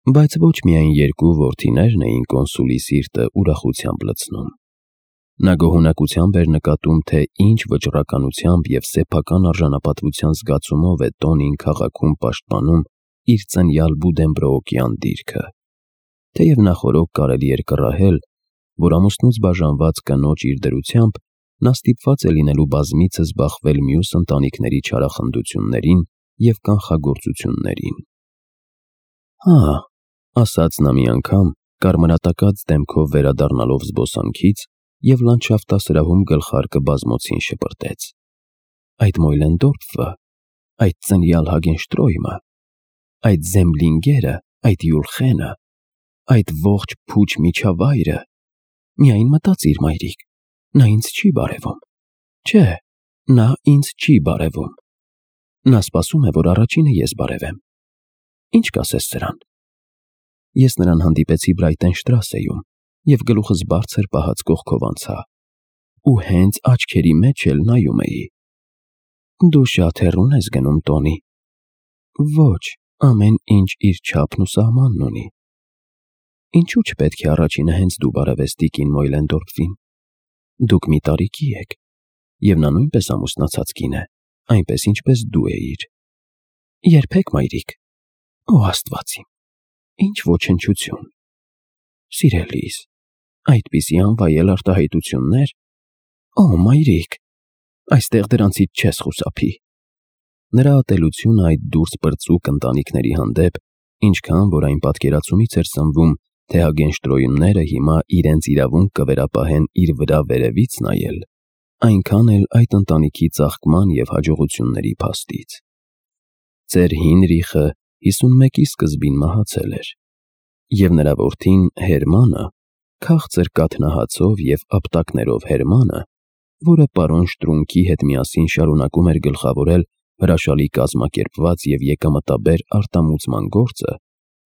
Բայց ոչ միայն երկու որդիներն էին կոնսուլի սիրտը ուրախությամբ լցնում։ Նա գոհունակությամբ էր նկատում, թե ինչ վճռականությամբ և սեփական արժանապատվության զգացումով է Տոնին քաղաքում պաշտպանում իր ծնյալ Բուդենբրոուկյան դիրքը։ Թեև նախօրոք կարելի էր կռահել, որ ամուսնուց բաժանված կնոջ իր դրությամբ նա ստիպված է լինելու բազմիցս բախվել մյուս ընտանիքների չարախնդություններին և կանխագործություններին։ «Հա», ասաց նա մի անգամ, կարմրատակած դեմքով վերադառնալով զբոսանքից և լանդշաֆտասրահում գլխարկը բազմոցին շպրտեց։ «Այդ Մոյլենդորֆը, այդ ծնյալ Հագենշտրոյմը, այդ Զեմլինգերը, այդ Յուլխենը, այդ ողջ փուչ միջավայրը… Միայն մտածիր, մայրիկ, նա ինձ չի բարևում։ Չէ, նա ինձ չի բարևում։ Նա սպասում է, որ առաջինը ես բարևեմ։ Ինչ կասես սրան»։ Ես նրան հանդիպեցի Բրայտենշտրասեում և գլուխս բարձր պահած կողքով անցա, ու հենց աչքերի մեջ էլ նայում էի։ «Դու շատ հեռուն ես գնում, Տոնի»։ «Ոչ, ամեն ինչ իր չափն ու սահմանն ունի»։ «Ինչու՞ չպետք է առաջինը հենց դու բարևես տիկին Մոյլենդորֆին։ Դուք մի տարիքի եք, և նա նույնպես ամուսնացած կին է, այնպես, ինչպես դու էիր»։ «Երբեք, մայրիկ»։ «Օ Աստված իմ, ինչ ոչնչություն»։ «Սիրելիս, այդպիսի անվայել արտահայտություններ… Օ մայրիկ, այստեղ դրանցից չես խուսափի»։ Նրա ատելությունը այդ դուրս պրծուկ ընտանիքների հանդեպ, ինչքան որ այն պատկերացումից էր սնվում, թե Հագենշտրոյմները հիմա իրենց իրավունք կվերապահեն իր վրա վերևից նայել, այնքան էլ այդ ընտանիքի ծաղկման և հաջողությունների փաստից։ Ծեր Հինրիխը 51-ի սկզբին մահացել էր, և նրա որդին Հերմանը, քաղցր կաթնահացով և ապտակներով Հերմանը, որը պարոն Շտրունքի հետ միասին շարունակում էր գլխավորել հրաշալի կազմակերպված և եկամտաբեր արտամուծման գործը,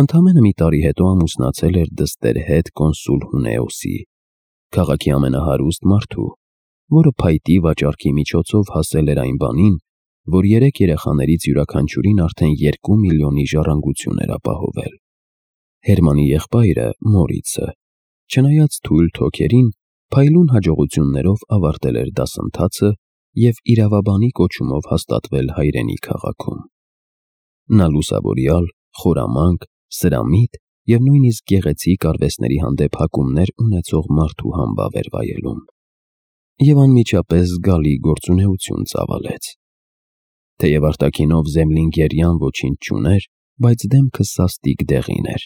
ընդամենը մի տարի հետո ամուսնացել էր դստեր հետ կոնսուլ Հունեոսի, քաղաքի ամենահարուստ մարդու, որը փայտի վաճառքի միջոցով հասել էր այն բանին, որ 3 երեխաներից յուրաքանչյուրին արդեն 2 միլիոնի ժառանգություն էր ապահովել։ Հերմանի եղբայրը՝ Մորիցը, չնայած թույլ թոքերին, փայլուն հաջողություններով ավարտել էր դասընթացը և իրավաբանի կոչումով հաստատվել հայրենի քաղաքում։ Նա լուսավորյալ, խորամանկ, սրամիտ և նույնիսկ գեղեցիկ արվեստների հանդեպ հակումներ ունեցող մարդու համբավ էր վայելում։ Եվ անմիջապես զգալի գործունեություն ծավալեց։ Թեև արտաքինով Զեմլինգերյան ոչինչ չուներ, բայց դեմքը սաստիկ դեղին էր,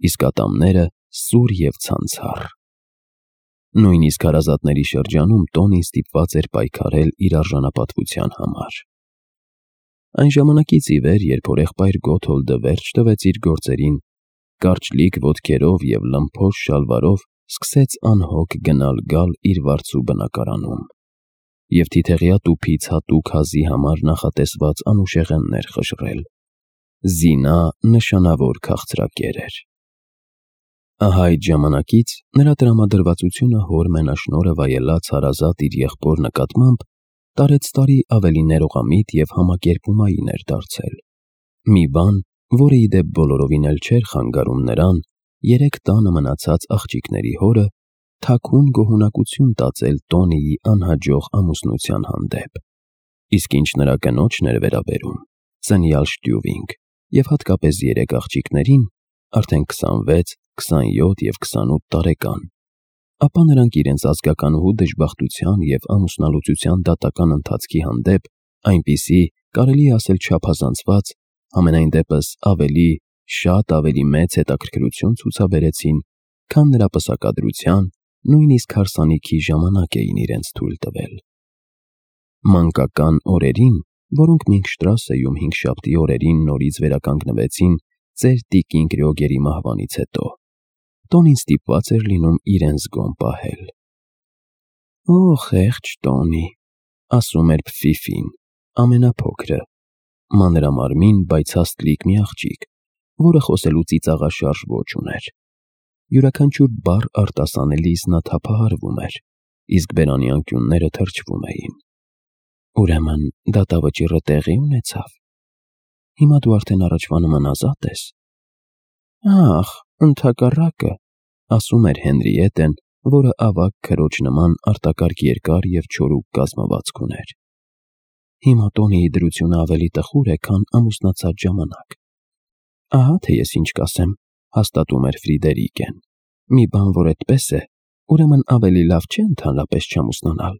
իսկ ատամները սուր և ցանցառ։ Նույնիսկ հարազատների շրջանում Տոնին ստիպված էր պայքարել իր արժանապատվության համար։ Այն ժամանակից ի վեր, երբ հորեղբայր Գոթոլդը վերջ տվեց իր գործերին, կարճլիկ ոտքերով և լմփոս շալվարով սկսեց անհոգ գնալ-գալ իր վարձու բնակարանում և թիթեղյա տուփից հատուկ հազի համար նախատեսված անուշեղեններ խժռել։ Զինա նշանավոր քաղցրակեր էր։ Ահա այդ ժամանակից նրա տրամադրվածությունը հոր մենաշնորհը վայելած հարազատ իր եղբոր նկատմամբ տարեցտարի ավելի ներողամիտ և համակերպումային էր դարձել։ Մի բան, որը ի դեպ բոլորովին էլ չէր խանգարում նրան 3 տանը մնացած աղջիկների հորը թաքուն գոհունակություն տածել Տոնիի անհաջող ամուսնության հանդեպ։ Իսկ ինչ նրա կնոջն էր վերաբերում, ծնյալ Շտյուվինգ, և հատկապես 3 աղջիկներին, արդեն 26, 27 և 28 տարեկան, ապա նրանք իրենց ազգականուհու դժբախտության և ամուսնալուծության դատական ընթացքի հանդեպ այնպիսի, կարելի է ասել չափազանցված, համենայն դեպս շատ ավելի մեծ հետաքրքրություն ցուցաբերեցին, քան նրա պսակադրության, նույնիսկ հարսանիքի ժամանակ էին իրենց թույլ տվել։ Մանկական օրերին, որոնք Մինքշտրասեում հինգշաբթի օրերին նորից վերականգնվեցին ծեր տիկին Գրյոգերի մահվանից հետո, Տոնին ստիպված էր լինում իրեն զգոն պահել։ «Օ, խեղճ Տոնի», ասում էր Փֆիֆին, ամենափոքրը, մանրամարմին, բայց հաստլիկ մի աղջիկ, որը խոսելու ծիծաղաշարժ ոճ ուներ։ Յուրաքանչյուր բառ արտասանելիս նա թափահարվում էր, իսկ բերանի անկյունները թրջվում էին։ «Ուրեմն դատավճիռը տեղի ունեցավ։ Հիմա դու արդեն առաջվա նման ազատ ես»։ Ախ, ընդհակառակը, ասում էր Հենրիետեն, որը ավագ քրոջ նման արտակարգ երկար և չորուկ կազմվածք ուներ։ Հիմա Տոնիի դրությունը ավելի տխուր է, քան ամուսնացած ժամանակ։ Ահա թե ես ինչ կասեմ, հաստատում էր Ֆրիդերիկեն։ Մի բան, որ այդպես է, ուրեմն ավելի լավ չէ ընդհանրապես չամուսնանալ։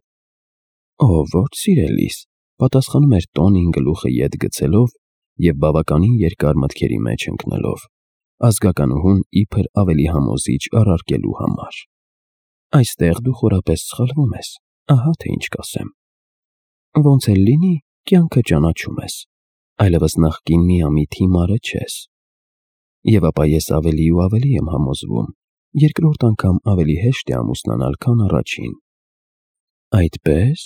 Ո, ոչ սիրելիս, պատասխանում էր Տոնին գլուխը ետ գցելով և բավականին երկար մտքերի մեջ ընկնելով, ազգականուհուն իբր ավելի համոզիչ առարկելու համար։ Այստեղ դու խորապես սխալվում ես, ահա թե ինչ կասեմ։ Ոնց էլ լինի, կյանքը ճանաչում ես, այլևս նախկին միամիտ հիմարը չես։ Եվ ապա ես ավելի ու ավելի եմ համոզվում, երկրորդ անգամ ավելի հեշտ է ամուսնանալ, քան առաջին։ Այդպե՞ս,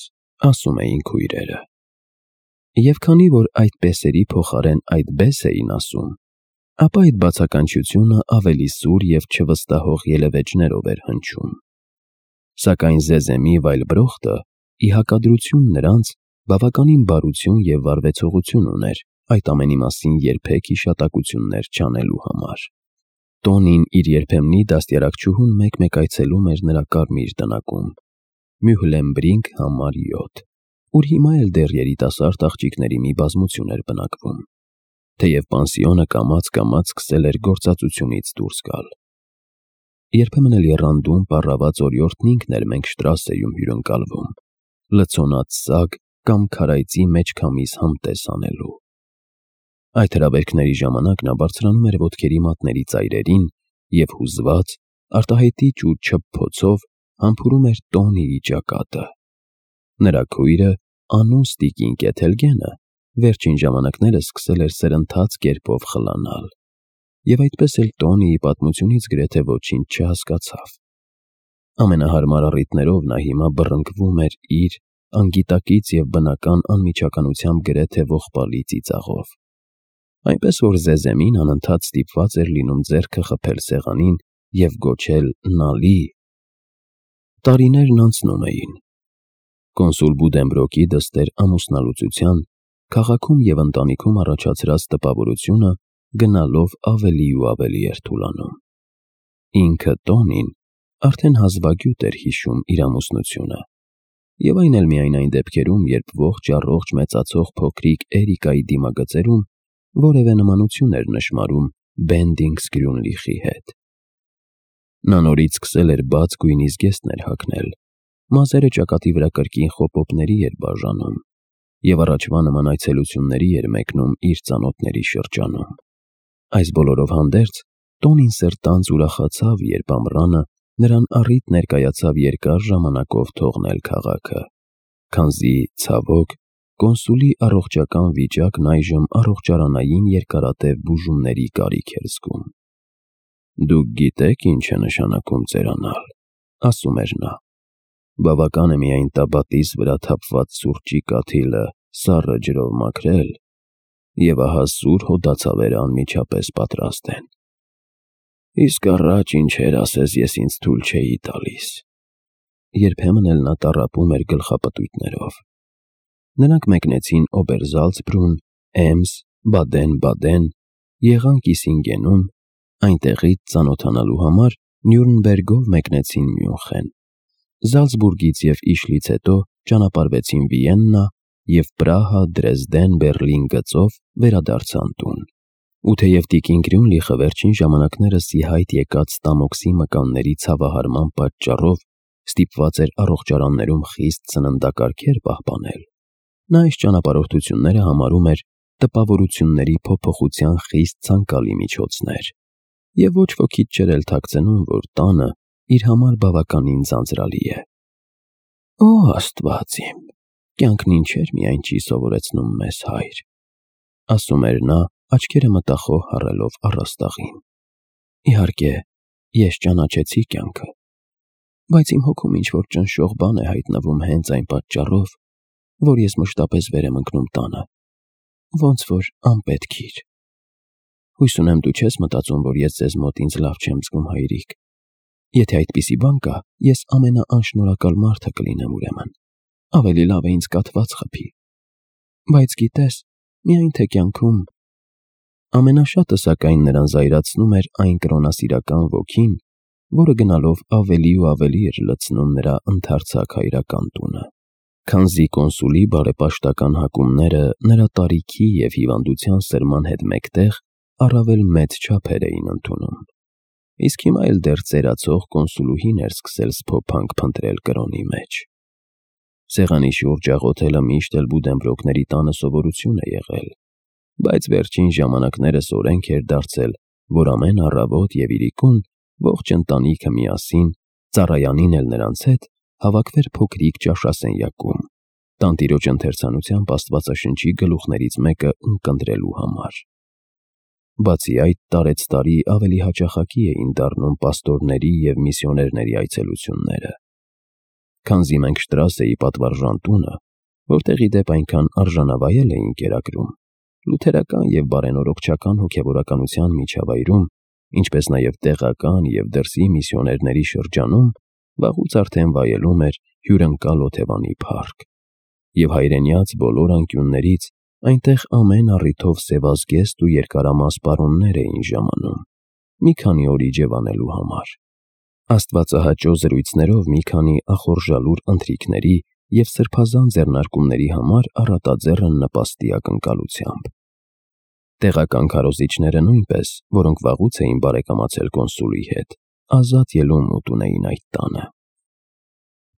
ասում էին քույրերը։ Եվ քանի որ այդպեսերի փոխարեն այդպես էին ասում, ապա այդ բացականչությունը ավելի սուր և չվստահող ելևէջներով էր հնչում։ Սակայն Զեզեմի Վայլբրոխտը, ի հակադրություն նրանց, բավականին բարություն և վարվեցողություն ուներ այդ ամենի մասին երբեք հիշատակություններ չանելու համար։ Տոնին իր երբեմնի դաստիարակչուհուն մեկ-մեկ այցելում էր նրա կարմիր տնակում, Մյուհլենբրինգ համար 7, ուր հիմա էլ դեռ երիտասարդ աղջիկների մի բազմություն էր բնակվում, թեև պանսիոնը կամաց-կամաց սկսել էր գործածությունից դուրս գալ։ Երբեմն էլ եռանդուն պառաված օրիորդն ինքն էր Մենգշտրասեում հյուրընկալվում, լցոնած սագ կամ քարայծի մեջ քամիս համտես անելու։ Այդ հրավերքների ժամանակ նա բարձրանում էր ոտքերի մատների ծայրերին և հուզված, արտահայտիչ ու չփփոցով համբուրում էր Տոնիի ճակատը։ Նրա քույրը, անունս տիկին Կեթելգենը, վերջին ժամանակներս սկսել էր սրընթաց կերպով խլանալ, և այդպես էլ Տոնիի պատմությունից գրեթե ոչինչ չհասկացավ։ Ամենահարմար առիթներով նա հիմա բռնկվում էր իր անգիտակից և բնական անմիջականությամբ գրեթե ողբալի ծիծաղով, այնպես որ Զեզեմին անընդհատ ստիպված էր լինում ձեռքը խփել սեղանին և գոչել «Նալի»։ Տարիներն անցնում էին։ Կոնսուլ Բուդենբրոկի դստեր ամուսնալուծության, քաղաքում և ընտանիքում առաջացրած տպավորությունը գնալով ավելի ու ավելի էր թուլանում։ Ինքը Տոնին արդեն հազվագյուտ էր հիշում իր ամուսնությունը, և այն էլ միայն այն դեպքերում, երբ ողջ-առողջ մեծացող փոքրիկ Էրիկայի դիմագծերում որևէ նմանություն էր նշմարում Բենդինգս Գրյունլիխի հետ։ Նա նորից սկսել էր բաց գույնի զգեստներ հագնել, մազերը ճակատի վրա կրկին խոպոպների էր բաժանում և առաջվա նման այցելությունների էր մեկնում իր ծանոթների շրջանում։ Այս բոլորով հանդերձ Տոնին սրտանց ուրախացավ, երբ ամռանը նրան առիթ ներկայացավ երկար ժամանակով թողնել քաղաքը, քանզի, ցավոք, կոնսուլի առողջական վիճակն այժմ առողջարանային երկարատև բուժումների կարիք էր զգում։ «Դուք գիտեք ինչ է նշանակում ծերանալ», ասում էր նա։ «Բավական է միայն տաբատիս վրա թափված սուրճի կաթիլը սառը ջրով մաքրել, և ահա սուր հոդացավերը անմիջապես պատրաստ են։ Իսկ առաջ ինչեր ասես ես ինձ թույլ չէի տալիս»։ Երբեմն էլ նա տառապում էր գլխապտույտներով։ Նրանք մեկնեցին Օբերզալցբրուն, Էմս, Բադեն-Բադեն, եղան Կիսինգենում, այնտեղից ծանոթանալու համար Նյուրնբերգով մեկնեցին Մյունխեն, Զալցբուրգից և Իշլից հետո ճանապարհվեցին Վիեննա և Պրահա, Դրեզդեն, Բեռլին գծով վերադարձան տուն։ Ու թեև տիկին Գրյունլիխը վերջին ժամանակներս ի հայտ եկած ստամոքսի մկանների ցավահարման պատճառով ստիպված էր առողջարաններում խիստ սննդակարգեր պահպանել, նա այս ճանապարհորդությունները համարում էր տպավորությունների փոփոխության խիստ ցանկալի միջոցներ, և ոչ ոքից չէր էլ թաքցնում, որ տանը իր համար բավականին ձանձրալի է։ «Օ Աստված իմ, կյանքն ինչեր միայն չի սովորեցնում մեզ, հայր», ասում էր նա, աչքերը մտախոհ հառելով առաստաղին։ «Իհարկե, ես ճանաչեցի կյանքը, բայց իմ հոգում ինչ-որ ճնշող բան է հայտնվում հենց այն պատճառով, որ ես մշտապես վեր եմ ընկնում տանը, ոնց որ անպետքիր։ Հույս ունեմ դու չես մտածում, որ ես ձեզ մոտ ինձ լավ չեմ զգում, հայրիկ։ Եթե այդպիսի բան կա, ես ամենաանշնորհակալ մարդը կլինեմ ուրեմն, ավելի լավ է ինձ կաթված խփի։ Բայց գիտես, միայն թե կյանքում Ամենաշատը սակայն նրան զայրացնում էր այն կրոնասիրական ոգին, որը գնալով ավելի ու ավելի էր լցնում նրա ընդարձակ հայրական տունը, քանզի կոնսուլի բարեպաշտական հակումները նրա տարիքի և հիվանդության սրման հետ մեկտեղ առավել մեծ չափեր էին ընդունում, իսկ հիմա էլ դեռ ծերացող կոնսուլուհին էր սկսել սփոփանք փնտրել կրոնի մեջ։ Սեղանի շուրջ աղոթելը միշտ էլ Բուդենբրոկների տանը սովորություն է եղել, բայց վերջին ժամանակներս օրենք էր դարձել, որ ամեն առավոտ և իրիկուն ողջ ընտանիքը միասին, ծառայանին էլ նրանց հետ, հավաքվեր փոքրիկ ճաշասենյակում, տանտիրոջ ընթերցանությամբ Աստվածաշնչի գլուխներից մեկը ունկնդրելու համար։ Բացի այդ, տարեցտարի ավելի հաճախակի էին դառնում պաստորների և միսիոներների այցելությունները։ Քանզի մենք Շտրասեի պատվարժան տունը, որտեղ ի դեպ այնքան արժանավայել էին կերակրում, լութերական և բարենորոգչական հոգևորականության միջավայրում, ինչպես նաև տեղական և դրսի միսիոներների շրջանում, վաղուց արդեն վայելում էր հյուրընկալ օթևանի փառք, և հայրենյաց բոլոր անկյուններից այնտեղ ամեն առիթով սևազգեստ ու երկարամաս պարոններ էին ժամանում, մի քանի օր իջևանելու համար, աստվածահաճո զրույցներով մի քանի ախորժալուր ընթրիքների և սրբազան ձեռնարկումների համար առատաձեռն նպաստի ակնկալությամբ։ Տեղական քարոզիչները նույնպես, որոնք վաղուց էին բարեկամացել կոնսուլի հետ, ազատ ելում ուտում էին այդ տանը։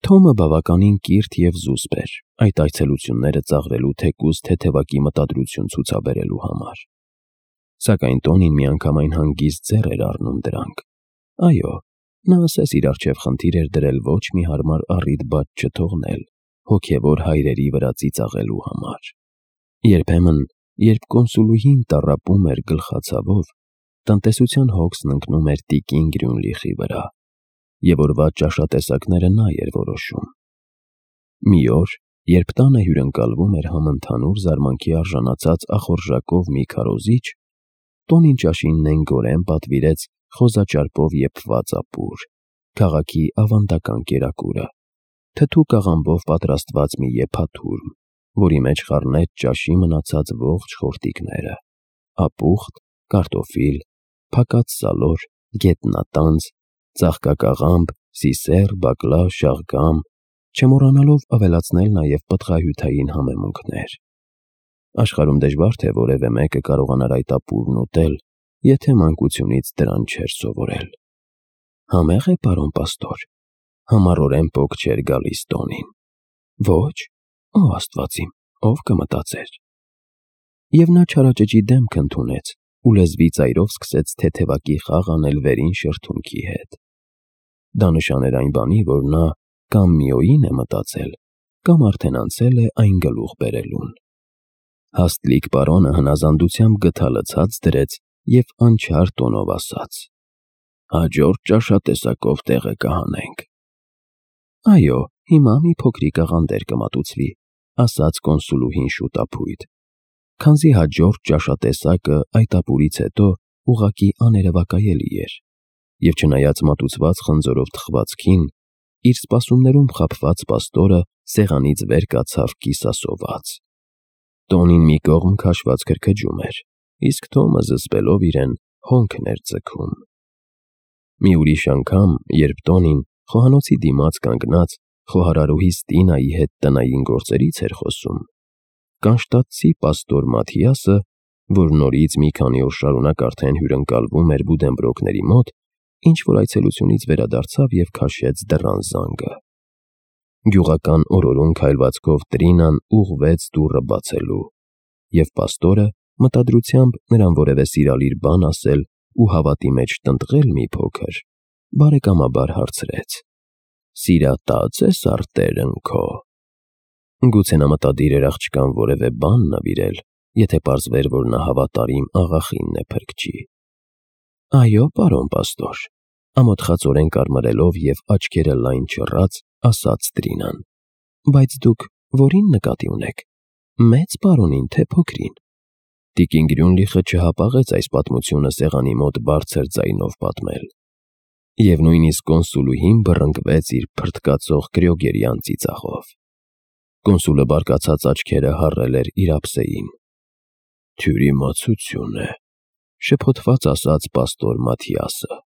Թոմը բավականին կիրթ և զուսպ էր այդ այցելությունները ծաղրելու թեկուզ թեթևակի մտադրություն ցուցաբերելու համար։ Սակայն Տոնին միանգամայն հանգիստ ձեռ էր առնում դրանք։ Այո, նա ասես իր առջև խնդիր էր դրել ոչ մի հարմար առիթ բաց չթողնել հոգևոր հայրերի վրա ծիծաղելու համար։ Երբեմն, երբ կոնսուլուհին տառապում էր գլխացավով, տնտեսության հոգսն ընկնում էր տիկին Գրյունլիխի վրա, և օրվա ճաշատեսակները նա էր որոշում։ Մի օր, երբ տանը հյուրընկալվում էր համընդհանուր զարմանքի արժանացած ախորժակով մի քարոզիչ, Տոնին ճաշին նենգորեն պատվիրեց խոզաճարպով եփված ապուր, քաղաքի ավանդական կերակուրը, թթու կաղամբով պատրաստված մի եփաթուրմ, որի մեջ խառնեց ճաշի մնացած ողջ խորտիկները, ապուխտ, կարտոֆիլ, փակած սալոր, գետնատանձ, ծաղկակաղամբ, սիսեռ, բակլա, շաղգամ, չմոռանալով ավելացնել նաև պտղահյութային համեմունքներ։ Աշխարհում դժվար թե որևէ մեկը կարողանար այդ ապուրն ուտել, եթե մանկությունից դրան չէր սովորել։ Համե՞ղ է, պարոն պաստոր, համառորեն պոկ չէր գալիս Տոնին։ Ոչ, ո Աստված իմ, ով կմտածեր։ Եվ նա չարաճճի դեմք ընդունեց ու լեզվի ծայրով սկսեց թեթևակի խաղ անել վերին շրթունքի հետ։ Դա նշան էր այն բանի, որ նա կամ միոյին է մտածել, կամ արդեն անցել է այն գլուխ բերելուն։ Հաստլիկ պարոնը հնազանդությամբ գդալը ցած դրեց և անչար տոնով ասաց. «Հաջորդ ճաշատեսակով տեղը կհանենք»։ «Այո, հիմա մի փոքրիկ աղանդեր կմատուցվի», ասաց կոնսուլուհին շուտափույթ, քանզի հաջորդ ճաշատեսակը այդ ապուրից հետո ուղղակի աներևակայելի էր, և չնայած մատուցված խնձորով թխվածքին, իր սպասումներում խաբված պաստորը սեղանից վեր կացավ կիսասոված։ Տոնին մի կողմ քաշված քրքջում էր, իսկ Թոմը զսպելով իրեն հոնքն էր ձգում։ Մի ուրիշ անգամ, երբ Տոնին խոհանոցի դիմաց կանգնած խոհարարուհի Ստինայի հետ տնային գործերից էր խոսում, կանշտացի պաստոր Մաթիասը, որ նորից մի քանի օր շարունակ արդեն հյուրընկալվում էր Բուդենբրոկների մոտ, ինչ-որ այցելությունից վերադարձավ և քաշեց դռան զանգը։ Գյուղական օրորուն քայլվածքով Տրինան ուղղվեց դուռը բացելու, և պաստորը, մտադրությամբ նրան որևէ սիրալիր բան ասել ու հավատի մեջ տնտղել մի փոքր, բարեկամաբար հարցրեց. «Սիրատա՞ծ ես արտերն քո»։ Գուցե նա մտադիր էր աղջկան որևէ բան նվիրել, եթե պարզվեր, որ նա հավատարիմ աղախինն է փրկչի։ «Այո, պարոն պաստոր», ամոթխածորեն կարմրելով և աչքերը լայն չռած, ասաց Տրինան։ «Բայց դուք որին նկատի ունեք, մեծ պարոնին, թե փոքրին»։ Տիկին Գրյունլիխը չհապաղեց այս պատմությունը սեղանի մոտ բարձր ձայնով պատմել, և նույնիսկ կոնսուլուհին բռնկվեց իր փռթկացող կրյոգերյան ծիծաղով։ Կոնսուլը բարկացած աչքերը հառել էր իր ափսեին։ «Թյուրիմացություն է, Շփոթված ասաց պաստոր Մաթիասը։